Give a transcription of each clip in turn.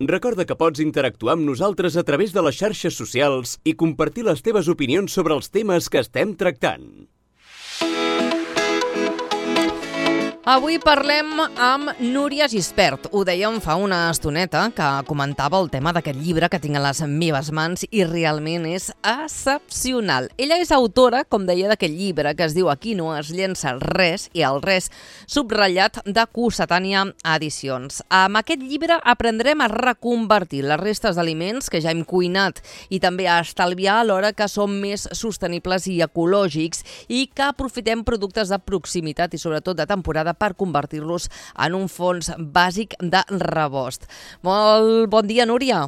Recorda que pots interactuar amb nosaltres a través de les xarxes socials i compartir les teves opinions sobre els temes que estem tractant. Avui parlem amb Núria Gispert. Ho dèiem fa una estoneta, que comentava el tema d'aquest llibre que tinc a les meves mans i realment és excepcional. Ella és autora, com deia, d'aquest llibre que es diu Aquí no es llença res, i el res subratllat, de Cossetània Edicions. Amb aquest llibre aprendrem a reconvertir les restes d'aliments que ja hem cuinat i també a estalviar alhora que som més sostenibles i ecològics i que aprofitem productes de proximitat i sobretot de temporada per convertir-los en un fons bàsic de rebost. Molt bon dia, Núria.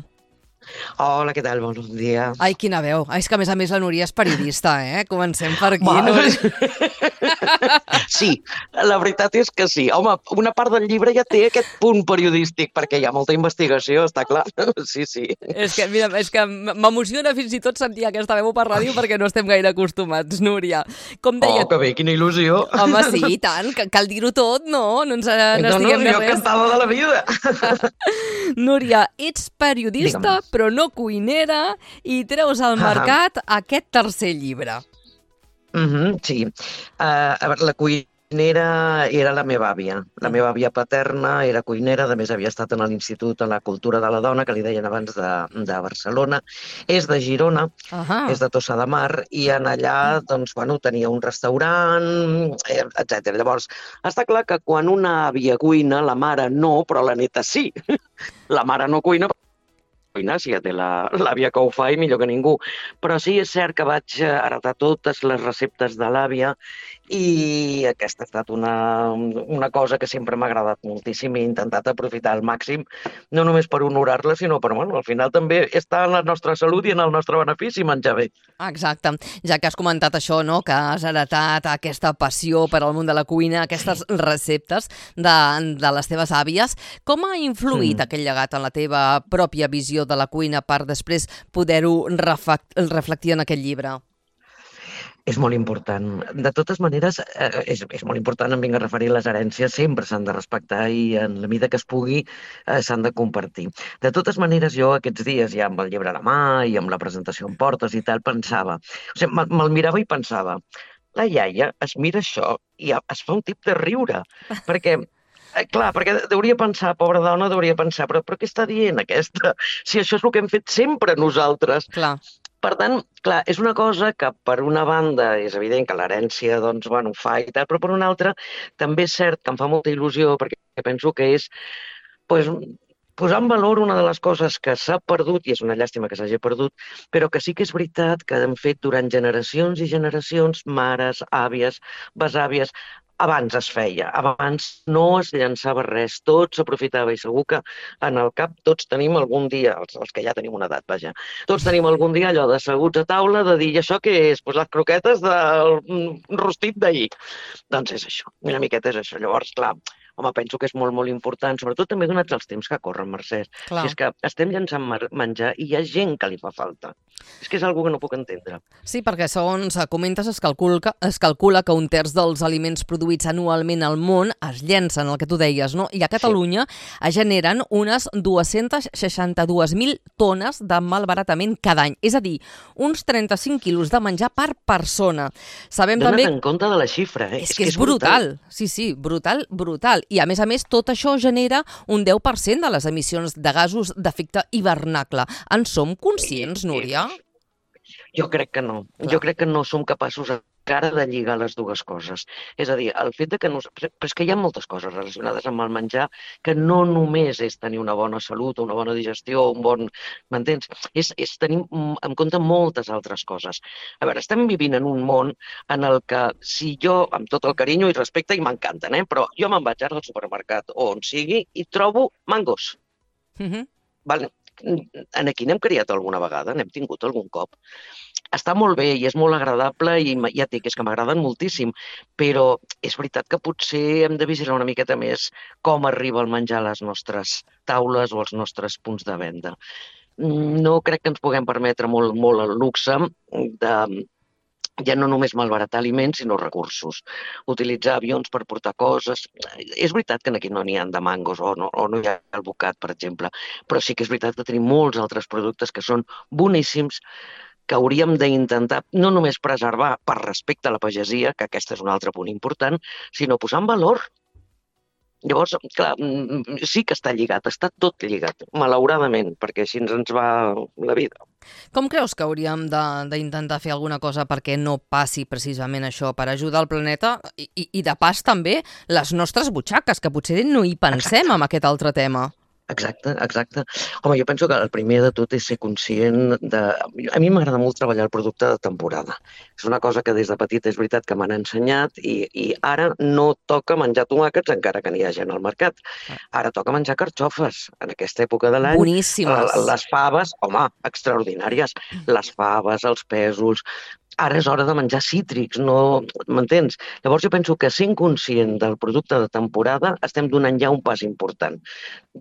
Hola, què tal? Bon dia. Ai, quina veu. És que, a més, la Núria és periodista, eh? Comencem per aquí, Núria. Sí, la veritat és que sí. Home, una part del llibre ja té aquest punt periodístic, perquè hi ha molta investigació, està clar. Sí, sí. És que, mira, m'emociona fins i tot sentir aquesta veu per ràdio perquè no estem gaire acostumats, Núria. Com deia... Oh, que bé, quina il·lusió. Home, sí, i tant, cal dir-ho tot, no? No ens n'estiguem de jo res. encantada de la vida. Núria, ets periodista, però no cuinera, i treus al mercat aquest tercer llibre. Sí. A veure, la cuinera era la meva àvia. La meva àvia paterna era cuinera, a més havia estat en l'Institut de la Cultura de la Dona, que li deien abans de Barcelona. És de Girona, és de Tossa de Mar, i en allà doncs, bueno, tenia un restaurant, etc. Llavors, està clar que quan una àvia cuina, la mare no, però la neta sí. La mare no cuina, si ja té l'àvia que ho fa i millor que ningú. Però sí, és cert que vaig heretar totes les receptes de l'àvia i aquesta ha estat una cosa que sempre m'ha agradat moltíssim i he intentat aprofitar al màxim, no només per honorar-la, sinó per, bueno, al final també està en la nostra salut i en el nostre benefici menjar bé. Exacte. Ja que has comentat això, no?, que has heretat aquesta passió per al món de la cuina, aquestes receptes de les teves àvies, com ha influït aquest llegat en la teva pròpia visió de la cuina per després poder-ho reflectir en aquest llibre? És molt important. De totes maneres, és molt important, em vinc a referir, les herències sempre s'han de respectar i en la mida que es pugui s'han de compartir. De totes maneres, jo aquests dies, ja amb el llibre a la mà i amb la presentació en portes i tal, pensava, o sigui, me'l mirava i pensava, la iaia es mira això i es fa un tip de riure, perquè clar, perquè deuria pensar, pobra dona, però què està dient aquesta? Si això és el que hem fet sempre nosaltres. Clar. Per tant, clar, és una cosa que per una banda és evident que l'herència doncs, bueno, fa i tal, però per una altra també és cert que em fa molta il·lusió perquè penso que és pues, posar en valor una de les coses que s'ha perdut, i és una llàstima que s'hagi perdut, però que sí que és veritat que han fet durant generacions i generacions, mares, àvies, besàvies. Abans es feia, abans no es llançava res, tot s'aprofitava i segur que en el cap tots tenim algun dia, els que ja tenim una edat, vaja, tots tenim algun dia allò d'asseguts a taula de dir, i això què és? Pues les croquetes del rostit d'ahir. Doncs és això, una miqueta és això. Llavors, clar, home, penso que és molt, molt important, sobretot també donats els temps que corren, Mercè. Si és que estem llançant menjar i hi ha gent que li fa falta. És que és una que no puc entendre. Sí, perquè segons comentes es calcula que un terç dels aliments produïts anualment al món es llencen, el que tu deies, no? I a Catalunya es generen unes 262.000 tones de malbaratament cada any. És a dir, uns 35 quilos de menjar per persona. Sabem Dona't també... en compte de la xifra, eh? És que és brutal. Sí, brutal. I a més, tot això genera un 10% de les emissions de gasos d'efecte hivernacle. En som conscients, Núria? Jo crec que no. Jo crec que no som capaços encara de lligar les dues coses. És a dir, el fet de que... Però és que hi ha moltes coses relacionades amb el menjar que no només és tenir una bona salut, una bona digestió, un bon... M'entens? És tenir en compte moltes altres coses. A veure, estem vivint en un món en el que si jo, amb tot el carinyo i respecte, i m'encanten, però jo me'n vaig ara al supermercat o on sigui i trobo mangos. Vale. Aquí n'hem criat alguna vegada, n'hem tingut algun cop. Està molt bé i és molt agradable i ja et dic, és que m'agraden moltíssim, però és veritat que potser hem de vigilar una miqueta més com arriba el menjar a les nostres taules o als nostres punts de venda. No crec que ens puguem permetre molt el luxe ja no només malbaratar aliments, sinó recursos. Utilitzar avions per portar coses. És veritat que aquí no n'hi ha de mangos o no hi ha alvocat, per exemple, però sí que és veritat que tenim molts altres productes que són boníssims, que hauríem d'intentar no només preservar per respecte a la pagesia, que aquest és un altre punt important, sinó posar en valor. Llavors, clar, sí que està lligat, està tot lligat, malauradament, perquè així ens va la vida. Com creus que hauríem d'intentar fer alguna cosa perquè no passi precisament això, per ajudar el planeta i de pas també les nostres butxaques, que potser no hi pensem amb aquest altre tema? Exacte. Home, jo penso que el primer de tot és ser conscient de... A mi m'agrada molt treballar el producte de temporada. És una cosa que des de petit és veritat que m'han ensenyat i ara no toca menjar tomàquets encara que n'hi hagi al mercat. Ara toca menjar carxofes en aquesta època de l'any. Boníssimes. Les faves, home, extraordinàries. Les faves, els pèsols... Ara és hora de menjar cítrics, no... M'entens? Llavors jo penso que sent conscient del producte de temporada estem donant ja un pas important.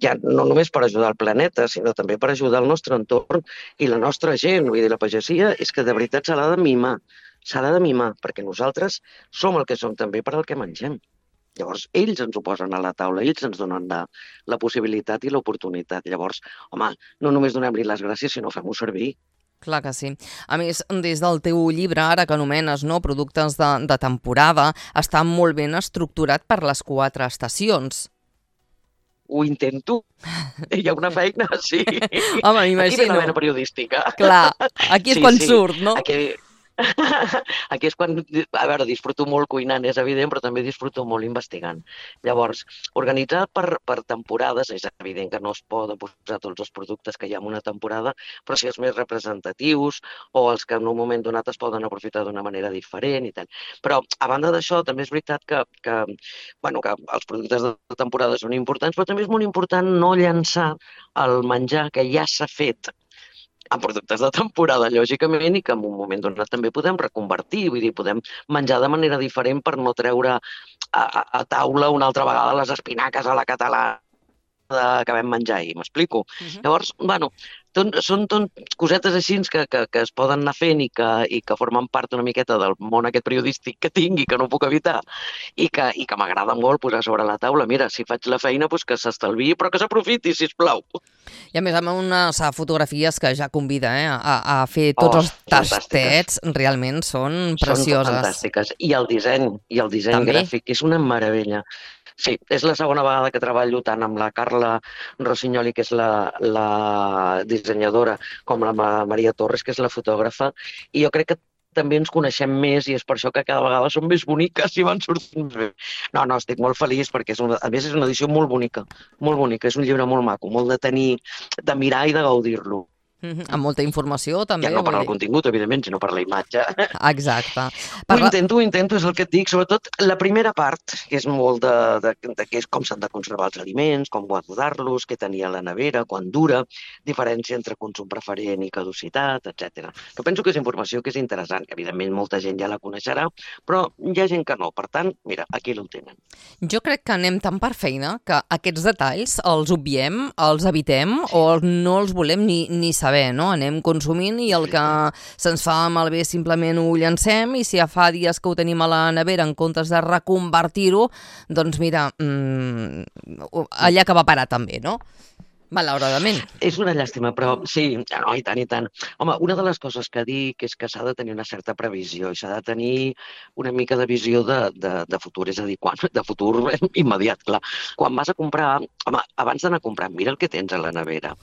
Ja no només per ajudar el planeta, sinó també per ajudar el nostre entorn i la nostra gent. Vull dir, la pagesia és que de veritat s'ha de mimar. S'ha de mimar, perquè nosaltres som el que som també per al que mengem. Llavors, ells ens ho posen a la taula, ells ens donen la possibilitat i l'oportunitat. Llavors, home, no només donem-li les gràcies, sinó fem-ho servir. Clar que sí. A més, des del teu llibre, ara que anomenes productes de temporada, està molt ben estructurat per les 4 estacions. Ho intento. Hi ha una feina, sí. Home, m'imagino. Aquí ve la vena periodística. Clar, aquí és quan surt, no? Aquí és quan, a veure, disfruto molt cuinant, és evident, però també disfruto molt investigant. Llavors, organitzar per temporades, és evident que no es poden posar tots els productes que hi ha en una temporada, però sí els més representatius o els que en un moment donat es poden aprofitar d'una manera diferent i tal. Però, a banda d'això, també és veritat que els productes de temporada són importants, però també és molt important no llançar el menjar que ja s'ha fet en productes de temporada, lògicament, i que en un moment donat també podem reconvertir, vull dir, podem menjar de manera diferent per no treure a taula una altra vegada les espinaques a la catalana que vam menjar ahir, m'explico? Llavors, són cosetes així que es poden anar fent i que formen part una miqueta del món aquest periodístic que tinc i que no puc evitar i que m'agrada molt posar sobre la taula. Mira, si faig la feina, que s'estalviï, però que s'aprofiti, sisplau. I a més, amb unes fotografies que ja convida a fer tots els tastets, realment són precioses. Són fantàstiques. I el disseny gràfic és una meravella. Sí, és la segona vegada que treballo tant amb la Carla Rossinyoli, que és la dissenyadora, com la Maria Torres, que és la fotògrafa, i jo crec que també ens coneixem més i és per això que cada vegada són més boniques i van sortint bé. No, estic molt feliç perquè a més és una edició molt bonica, és un llibre molt maco, molt de mirar i de gaudir-lo. Amb molta informació, també. Ja no per al contingut, evidentment, sinó per la imatge. Exacte. Ho intento, és el que et dic. Sobretot la primera part, que és molt de com s'han de conservar els aliments, com guardar-los, què tenia a la nevera, quan dura, diferència entre consum preferent i caducitat, etc. Però penso que és informació que és interessant, que evidentment molta gent ja la coneixerà, però hi ha gent que no. Per tant, mira, aquí ho tenen. Jo crec que anem tan per feina que aquests detalls els obviem, els evitem o no els volem ni saber. No? Anem consumint i el que se'ns fa malbé simplement ho llancem i si ja fa dies que ho tenim a la nevera en comptes de reconvertir-ho, doncs mira, allà que va parar també, no? Malauradament. És una llàstima, però sí, no, i tant. Home, una de les coses que dic és que s'ha de tenir una certa previsió i s'ha de tenir una mica de visió de futur, és a dir, de futur immediat, clar. Quan vas a comprar, home, abans d'anar a comprar, mira el que tens a la nevera,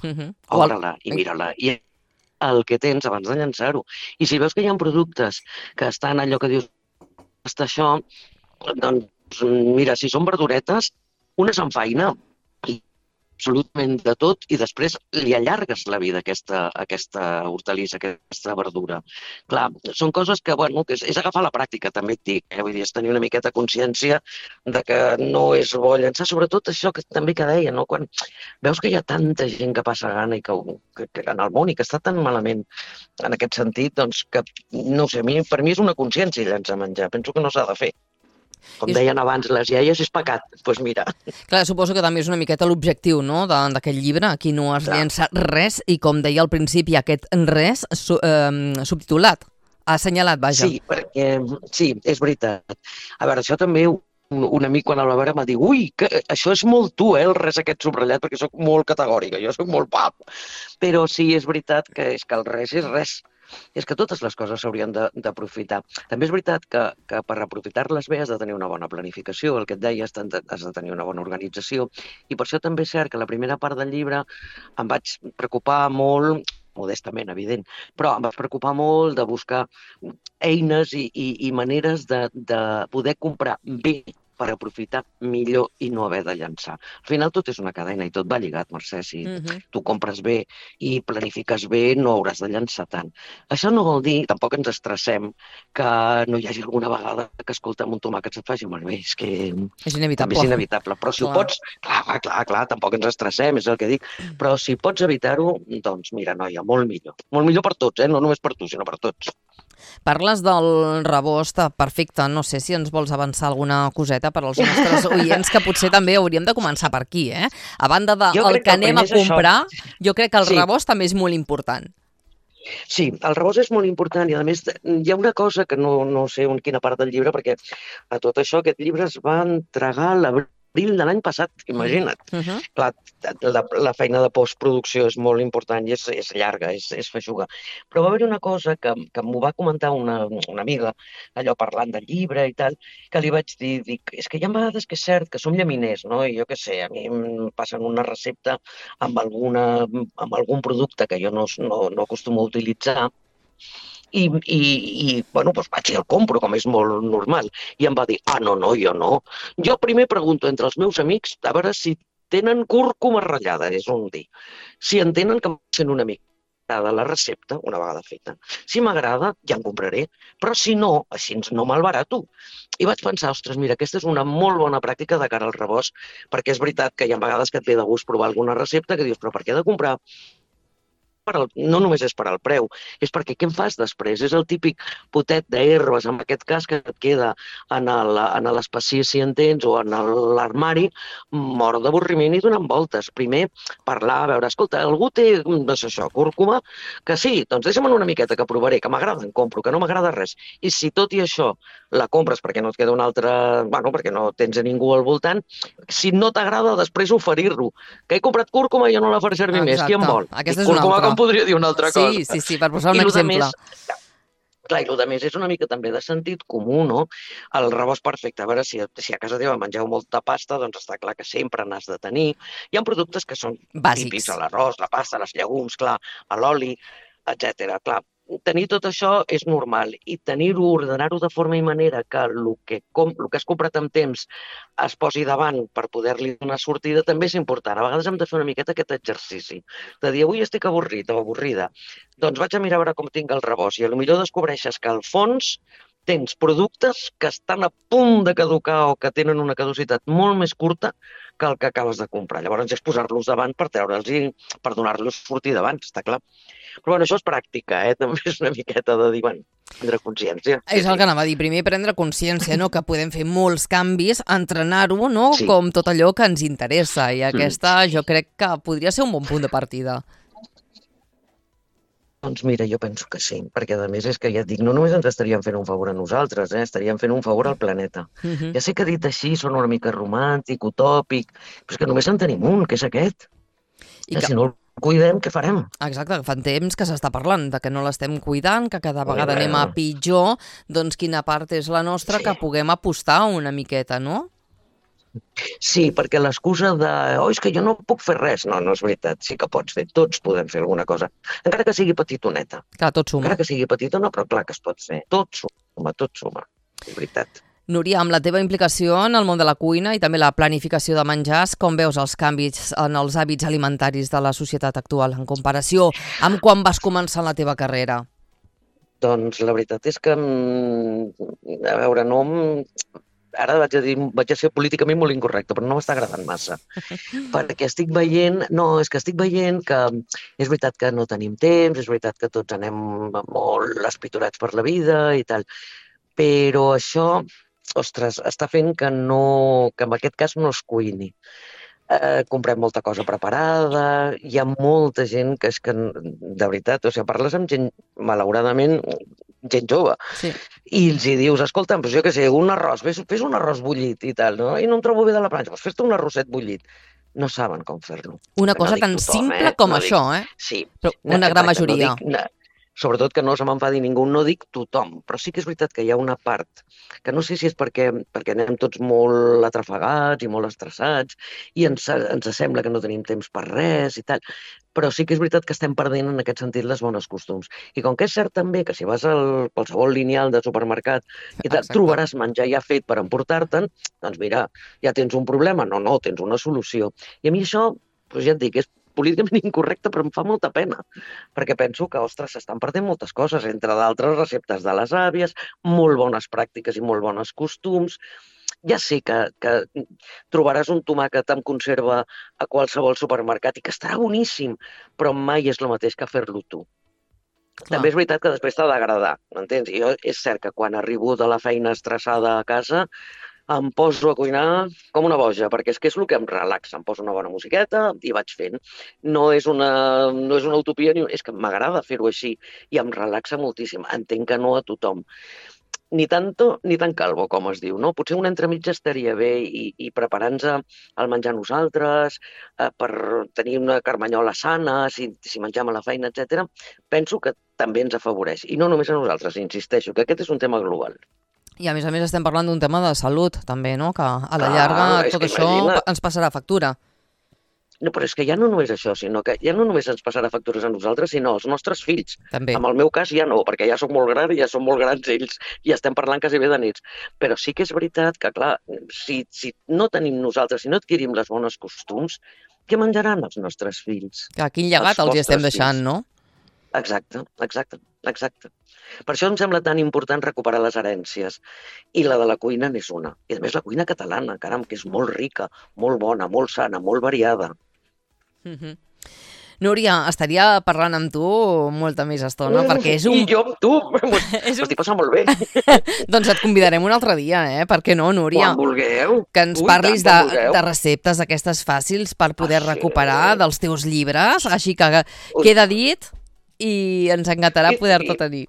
obre-la i mira-la, i el que tens abans de llançar-ho. I si veus que hi ha productes que estan allò que dius, està això, doncs mira, si són verduretes, una s'enfaina, absolutament de tot, i després li allargues la vida a aquesta hortalissa, a aquesta verdura. Clar, són coses que, que és agafar la pràctica, també et dic. Vull dir, és tenir una miqueta consciència de que no és bo llançar, sobretot això que també que deia, no? Quan veus que hi ha tanta gent que passa gana i que en el món i que està tan malament en aquest sentit, doncs que, no sé, per mi és una consciència llançar menjar. Penso que no s'ha de fer. Com deien abans, les iaies és pecat. Doncs mira. Clar, suposo que també és una miqueta l'objectiu, no?, d'aquest llibre. Aquí no es llença res i, com deia al principi, aquest res subtitulat. Ha assenyalat, vaja. Sí, perquè sí, és veritat. A veure, això també un amic quan el va veure m'ha dit ui, que això és molt tu, el res aquest subratllat, perquè sóc molt categòrica, jo sóc molt pap. Però sí, és veritat que és que el res és res. És que totes les coses s'haurien d'aprofitar. També és veritat que per aprofitar-les bé has de tenir una bona planificació, el que et deia, has de tenir una bona organització, i per això també és cert que la primera part del llibre em vaig preocupar molt, modestament, evident, però em vaig preocupar molt de buscar eines i maneres de poder comprar bé per aprofitar millor i no haver de llançar. Al final tot és una cadena i tot va lligat, Mercè. Si tu compres bé i planifiques bé, no hauràs de llançar tant. Això no vol dir, tampoc ens estressem, que no hi hagi alguna vegada que escoltem un tomàquet se't faci malbé. És que És inevitable. també és inevitable. Però si ho pots... Clar, tampoc ens estressem, és el que dic. Però si pots evitar-ho, doncs mira, noia, molt millor. Molt millor per tots, no només per tu, sinó per tots. Parles del rebost, perfecte. No sé si ens vols avançar alguna coseta per als nostres oients, que potser també hauríem de començar per aquí, eh? A banda del que anem a comprar, jo crec que el rebost també és molt important. Sí, el rebost és molt important i, a més, hi ha una cosa que no sé en quina part del llibre, perquè a tot això aquest llibre es va entregar a l'abril de l'any passat, imagina't. Clar, la feina de postproducció és molt important i és llarga, és feixuga. Però va haver una cosa que m'ho va comentar una amiga, allò parlant del llibre i tal, que li vaig dir, és que hi ha vegades que és cert que som llaminers, no? I jo què sé, a mi em passen una recepta amb algun producte que jo no acostumo a utilitzar, i bueno, doncs vaig i el compro, com és molt normal. I em va dir, no, jo no. Jo primer pregunto entre els meus amics a veure si tenen cúrcuma ratllada, és un dir. Si entenen que m'agrada una mica de la recepta, una vegada feta. Si m'agrada, ja en compraré, però si no, així no malbarato. I vaig pensar, ostres, mira, aquesta és una molt bona pràctica de cara al rebost, perquè és veritat que hi ha vegades que et ve de gust provar alguna recepta que dius, però per què he de comprar? No només és per al preu, és perquè què en fas després? És el típic potet d'herbes, en aquest cas, que et queda en l'espacís, si entens, o en l'armari, mort d'avorriment i donant voltes. Primer, parlar, veure, escolta, algú té, no sé això, cúrcuma? Que sí, doncs deixa'm una miqueta que provaré, que m'agrada, en compro, que no m'agrada res. I si tot i això la compres perquè no et queda una altra, bueno, perquè no tens a ningú al voltant, si no t'agrada, després oferir-lo. Que he comprat cúrcuma i ja no la faré servir més. Qui en vol? Aquesta és una altra. Em podria dir una altra cosa. Sí, per posar un exemple. Clar, i el més és una mica també de sentit comú, no? El rebost perfecte. A veure, si a casa teva mengeu molta pasta, doncs està clar que sempre n'has de tenir. Hi ha productes que són típics, l'arròs, la pasta, els llegums, clar, l'oli, etc. Clar, tenir tot això és normal i tenir-ho, ordenar-ho de forma i manera que el que has comprat amb temps es posi davant per poder-li donar sortida també és important. A vegades hem de fer una miqueta aquest exercici de dir, avui estic avorrit o avorrida, doncs vaig a mirar a veure com tinc el rebost i potser descobreixes que al fons tens productes que estan a punt de caducar o que tenen una caducitat molt més curta que el que acabes de comprar. Llavors és posar-los davant per treure'ls per donar-los sortida abans, està clar. Però bueno, això és pràctica, també és una miqueta de dir, bueno, prendre consciència. És el que anava a dir, primer prendre consciència, no? Que podem fer molts canvis, entrenar-ho, no? Sí. Com tot allò que ens interessa, i aquesta jo crec que podria ser un bon punt de partida. Doncs mira, jo penso que sí, perquè a més és que ja et dic, no només ens estaríem fent un favor a nosaltres, estaríem fent un favor al planeta. Ja sé que dit així són una mica romàntic, utòpic, però és que només en tenim un, que és aquest. I si no el cuidem, què farem? Exacte, fa temps que s'està parlant de que no l'estem cuidant, que cada vegada anem a pitjor, doncs quina part és la nostra que puguem apostar una miqueta, no? Sí, perquè l'excusa de és que jo no puc fer res, no és veritat, sí que pots fer, tots podem fer alguna cosa, encara que sigui petitoneta. Clar, tot suma. Encara que sigui petitona, però clar que es pot fer, tot suma, és veritat. Núria, amb la teva implicació en el món de la cuina i també la planificació de menjars, com veus els canvis en els hàbits alimentaris de la societat actual en comparació amb quan vas començar la teva carrera? Doncs la veritat és que, a veure, ara vaig a ser políticament molt incorrecte, però no m'està agradant massa. Perquè estic veient que és veritat que no tenim temps, és veritat que tots anem molt espiturats per la vida i tal, però això, ostres, està fent que en aquest cas no es cuini. Comprem molta cosa preparada, hi ha molta gent que és que, de veritat, parles amb gent, malauradament, gent jove. Sí. I els hi dius, escolta, doncs jo què sé, un arròs, fes un arròs bullit i tal, no? I no em trobo bé de la planxa, doncs fes-te un arrosset bullit. No saben com fer-lo. Una cosa tan simple com això, eh? Sí. Però una gran majoria. Sobretot que no se m'enfadi ningú, no dic tothom, però sí que és veritat que hi ha una part que no sé si és perquè anem tots molt atrafegats i molt estressats i ens sembla que no tenim temps per res i tal, però sí que és veritat que estem perdent en aquest sentit les bones costums. I com que és cert també que si vas al qualsevol lineal de supermercat i tal, trobaràs menjar ja fet per emportar-te'n, doncs mira, ja tens un problema. No, tens una solució. I a mi això, doncs ja et dic, és políticament incorrecte, però em fa molta pena, perquè penso que, ostres, s'estan perdent moltes coses, entre d'altres receptes de les àvies, molt bones pràctiques i molt bons costums. Ja sé que trobaràs un tomàquet amb conserva a qualsevol supermercat i que estarà boníssim, però mai és el mateix que fer-lo tu. Clar. També és veritat que després t'ha d'agradar, m'entens? Jo és cert que quan arribo de la feina estressada a casa em poso a cuinar com una boja, perquè és que és el que em relaxa. Em poso una bona musiqueta i vaig fent. No és una utopia, és que m'agrada fer-ho així i em relaxa moltíssim. Entenc que no a tothom. Ni tanto ni tan calvo, com es diu, no? Potser un entremitja estaria bé i preparar-nos el menjar nosaltres, per tenir una carmanyola sana, si mengem a la feina, etc. Penso que també ens afavoreix. I no només a nosaltres, insisteixo, que aquest és un tema global. I a més estem parlant d'un tema de salut, també, no? Que a la llarga tot això ens passarà factura. No, però és que ja no només això, sinó que ja no només ens passarà factures a nosaltres, sinó als nostres fills. També. En el meu cas ja no, perquè ja soc molt gran i ja són molt grans ells i estem parlant quasi bé de nits. Però sí que és veritat que, clar, si no tenim nosaltres, si no adquirim les bones costums, què menjaran els nostres fills? Quin llegat els hi estem deixant, no? Exacte. Per això em sembla tan important recuperar les herències. I la de la cuina n'és una. I a més la cuina catalana, caram, que és molt rica, molt bona, molt sana, molt variada. Núria, estaria parlant amb tu molta més estona, perquè és un... I jo amb tu, m'estic passant molt bé. Doncs et convidarem un altre dia, Per què no, Núria? Quan vulgueu. Que ens parlis de receptes aquestes fàcils per poder recuperar dels teus llibres, així que queda dit i ens encantarà poder-te tenir.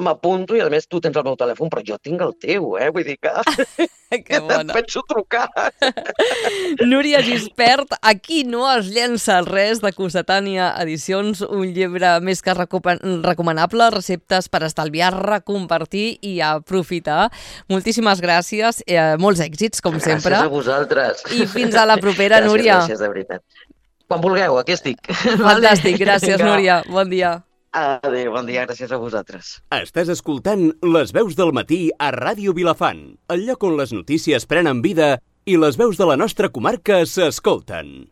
M'apunto i, a més, tu tens el meu telèfon, però jo tinc el teu, Vull dir que te'n penso trucar. Núria Gispert, aquí no es llença res de Cossetània Edicions, un llibre més que recomanable, receptes per estalviar, recompartir i aprofitar. Moltíssimes gràcies, molts èxits, com sempre. Gràcies a vosaltres. I fins a la propera, Núria. Gràcies, de veritat. Quan vulgueu, aquí estic. Fantàstic, gràcies, Núria. Bon dia. Adéu, bon dia, gràcies a vosaltres. Estàs escoltant Les veus del matí a Ràdio Vilafant, el lloc on les notícies prenen vida i les veus de la nostra comarca s'escolten.